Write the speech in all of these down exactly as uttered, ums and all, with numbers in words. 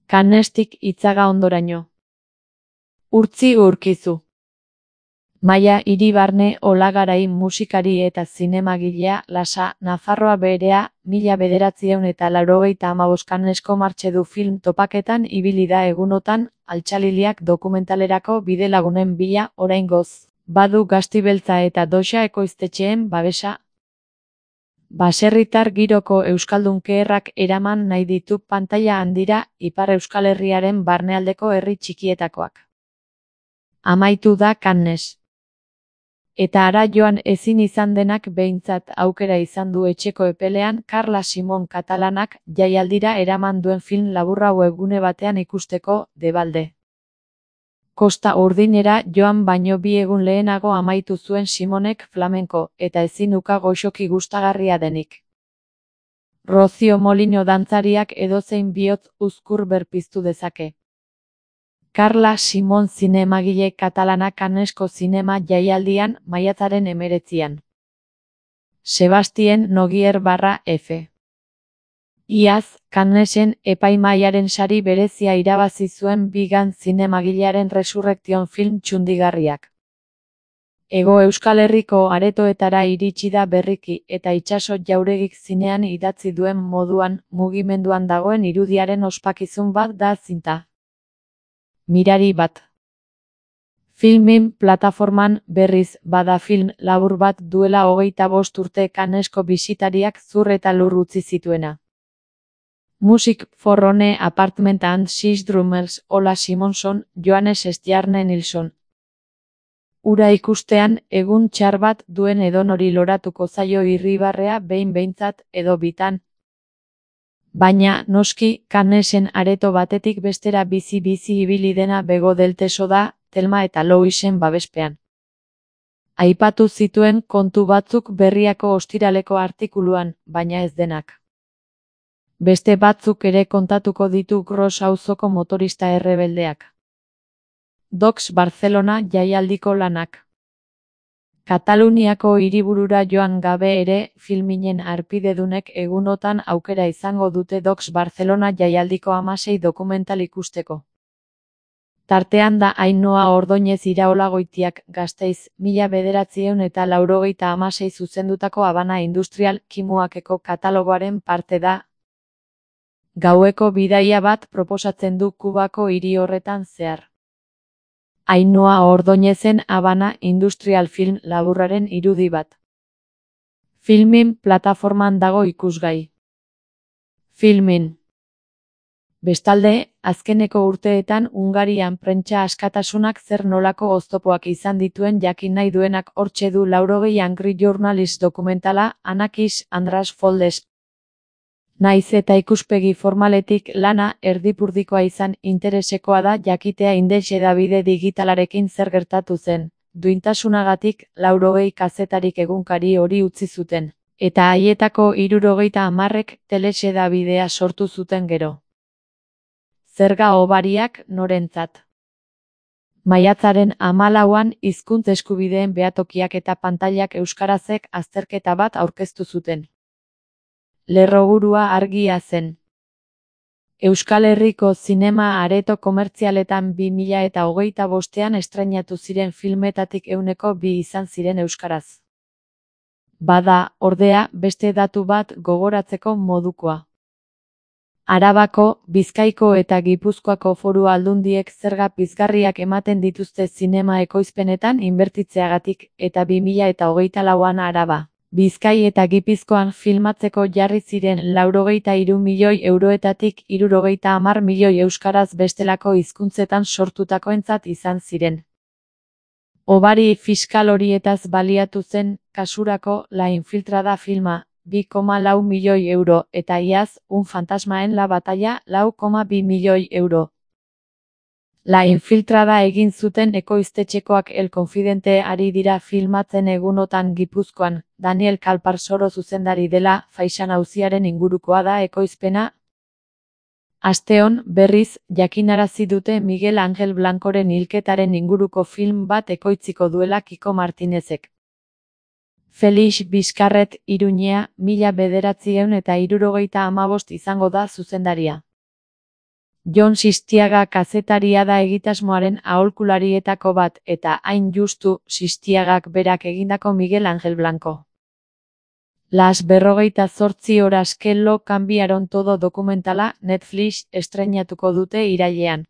Cannestik Itzaga ondoraino. Urtzi urkizu. Maia Iribarne Olagarai musikari eta zinemagilea Lasa, Nafarroa berea, mila bederatziehun eta laurogeita hamabost Cannesko Martxedu film topaketan ibili da egunotan, Altxaliliak dokumentalerako bidelagunen bila oraingoz, badu Gaztibeltza eta Doxa ekoiztetxeen babesa. Baserritar giroko euskaldunkeerrak eraman nahi ditu pantaila handira Ipar Euskal Herriaren barnealdeko herri txikietakoak. Amaitu da Cannes. Eta ara joan ezin izan denak behintzat aukera izan du etxeko epelean Carla Simon katalanak jaialdira eraman duen film laburra webgune batean ikusteko, debalde. Kosta Urdinera joan baino bi egun lehenago amaitu zuen Simonek flamenko, eta ezin uka goxoki gustagarria denik. Rocio Molino dantzariak edozein bihotz uzkur berpiztu dezake. Carla Simon zinemagile katalana Cannesko zinema jaialdian maiatzaren hemeretzian. Sebastien Nogier barra F. Iaz, Cannesen epaimahaiaren sari berezia irabazi zuen Bigan zinemagilearen Resurrection film txundigarriak. Hego Euskal Herriko aretoetara iritsi da berriki eta itsaso jauregik zinean idatzi duen moduan mugimenduan dagoen irudiaren ospakizun bat da zinta. Mirari bat. Filmin plataforman berriz bada film labur bat duela hogeita bost urte Cannesko bisitariak zur eta lur utzi zituena. Music for One Apartment and Six Drummers Ola Simonson, Johannes Stjarne Nilsson. Ura ikustean, egun txar bat duen edonori loratuko zaio irribarrea behin behintzat edo bitan. Baina, noski, Cannesen areto batetik bestera bizi-bizi ibili dena Bego Delteso da, Thelma eta Louisen babespean. Aipatu zituen kontu batzuk Berriako ostiraleko artikuluan, baina ez denak. Beste batzuk ere kontatuko ditu Gros auzoko motorista errebeldeak. Docs Barcelona jaialdiko lanak. Kataluniako hiriburura joan gabe ere, filminen harpidedunek egunotan aukera izango dute Docs Barcelona jaialdiko hamasei dokumental ikusteko. Tartean da Ainhoa Ordoñez Iraolagoitiak Gasteiz, mila bederatziehun eta laurogeita hamasei zuzendutako Habana Industrial Kimuakeko katalogoaren parte da. Gaueko bidaia bat proposatzen du Kubako hiri horretan zehar. Ainhoa Ordoñezen Habana Industrial Film laburraren irudi bat. Filmin plataforman dago ikusgai. Filmin. Bestalde, azkeneko urteetan Hungarian prentsa askatasunak zer nolako oztopoak izan dituen jakin nahi duenak hortxe du laurogei Angry Journalist dokumentala, Anakis Andras Foldes. Naiz eta ikuspegi formaletik lana erdipurdikoa izan interesekoa da jakitea Index hedabide digitalarekin zer gertatu zen, duintasunagatik laurogei kazetarik egunkari hori utzi zuten, eta haietako hirurogeita hamarrek Telex hedabidea sortu zuten gero. Zerga hobariak norentzat. Maiatzaren hamalauan hizkuntz eskubideen behatokiak eta pantailak euskarazek azterketa bat aurkeztu zuten. Lerroburua argia zen. Euskal Herriko zinema areto komertzialetan bi mila eta hogeita bostean estreinatu ziren filmetatik ehuneko bi izan ziren euskaraz. Bada, ordea, beste datu bat gogoratzeko modukoa. Arabako, Bizkaiko eta Gipuzkoako foru aldundiek zerga pizgarriak ematen dituzte zinema ekoizpenetan inbertitzeagatik, eta bi mila eta hogeita lauan Araba, Bizkai eta Gipuzkoan filmatzeko jarri ziren laurogeita hiru milioi euroetatik hirurogeita hamar milioi euskaraz bestelako hizkuntzetan sortutakoentzat izan ziren. Hobari fiskal horietaz baliatu zen, kasurako La Infiltrada filma, bi koma lau milioi euro, eta iaz, Un fantasma en la batalla, lau koma bi milioi euro. La Infiltrada egin zuten ekoiztetxekoak El Confidente ari dira filmatzen egunotan Gipuzkoan, Daniel Kalparsoro zuzendari dela, Faixan auziaren ingurukoa da ekoizpena. Asteon, berriz, jakinarazi dute Miguel Angel Blancoren hilketaren inguruko film bat ekoitziko duela Kiko Martinezek. Felix Bizkarret Iruñea, mila bederatziehun eta hirurogeita hamabost izango da zuzendaria. Jon Sistiaga kazetaria da egitasmoaren aholkularietako bat eta hain justu Sistiagak berak egindako Miguel Ángel Blanco. Las berrogeita zortzi horas que lo cambiaron todo dokumentala Netflix estreinatuko dute irailean.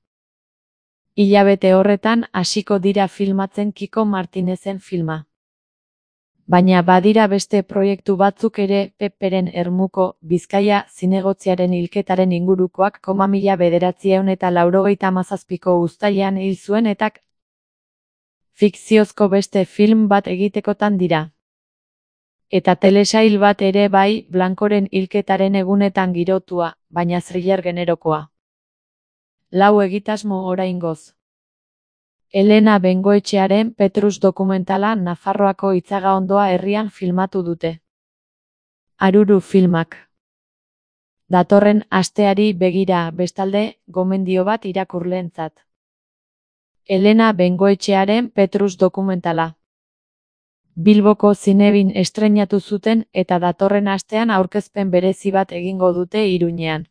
Hilabete horretan hasiko dira filmatzen Kiko Martinezen filma. Baina badira beste proiektu batzuk ere Peperen Ermuko, Bizkaia zinegotziaren hilketaren ingurukoak koma mila bederatziehun eta laurogeita hamazazpiko uztailean hil zuen eta fikziozko beste film bat egitekotan dira. Eta telesail bat ere bai Blancoren hilketaren egunetan girotua, baina thriller generokoa. Lau egitasmo oraingoz. Elena Bengoetxearen Petrus dokumentala Nafarroako Itzagaondoa herrian filmatu dute. Aruru filmak. Datorren asteari begira bestalde, gomendio bat irakurleentzat. Elena Bengoetxearen Petrus dokumentala. Bilboko Zinebin estreinatu zuten eta datorren astean aurkezpen berezi bat egingo dute Iruñean.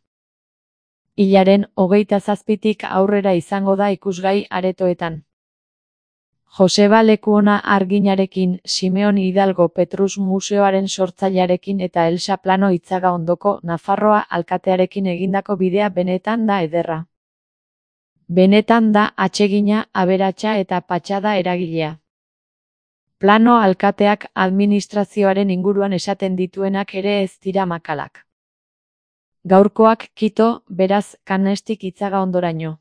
Hilaren hogeita zazpitik aurrera izango da ikusgai aretoetan. Joseba Lekuona Arginarekin, Simeon Hidalgo Petrus Museoaren sortzailearekin eta Elsa Plano Itzagaondoko Nafarroa alkatearekin egindako bidea benetan da ederra. Benetan da atsegina, aberatsa eta patxada eragilea. Plano alkateak administrazioaren inguruan esaten dituenak ere ez dira makalak. Gaurkoak kito, beraz, Kanestik Itzagaondoraino.